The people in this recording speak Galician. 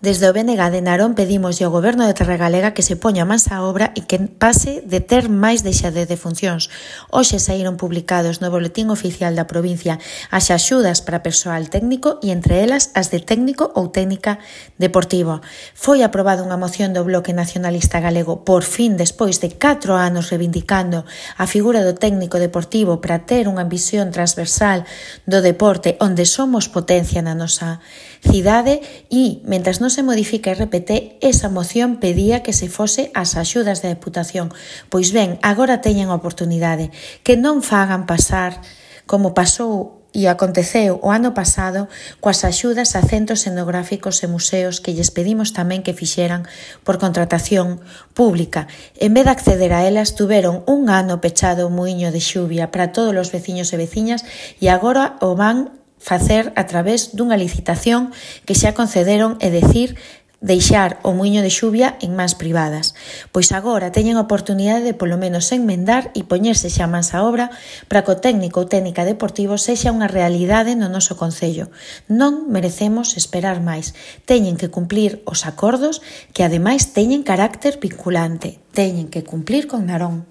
Desde o BNG de Narón pedimos ao Goberno de Terra Galega que se poña mans á obra e que pase de ter máis deixadez de funcións. Hoxe saíron publicados no Boletín Oficial da provincia as axudas para persoal técnico e entre elas as de técnico ou técnica deportivo. Foi aprobada unha moción do Bloque Nacionalista Galego por fin despois de 4 anos reivindicando a figura do técnico deportivo para ter unha visión transversal do deporte onde somos potencia na nosa cidade e, mentras non se modifica RPT, esa moción pedía que se fose as axudas da Deputación. Pois ben, agora teñen a oportunidade que non fagan pasar como pasou e aconteceu o ano pasado coas axudas a centros etnográficos e museos que lles pedimos tamén que fixeran por contratación pública. En vez de acceder a elas, tuveron un ano pechado o muiño de xuvia para todos os veciños e veciñas e agora o van facer a través dunha licitación que xa concederon, é dicir, deixar o muiño de xuvia en mans privadas. Pois agora teñen a oportunidade de polo menos enmendar e poñerse xa mans á obra para que o técnico ou técnica deportivo sexa unha realidade no noso concello. Non merecemos esperar máis. Teñen que cumplir os acordos que ademais teñen carácter vinculante. Teñen que cumplir con Narón.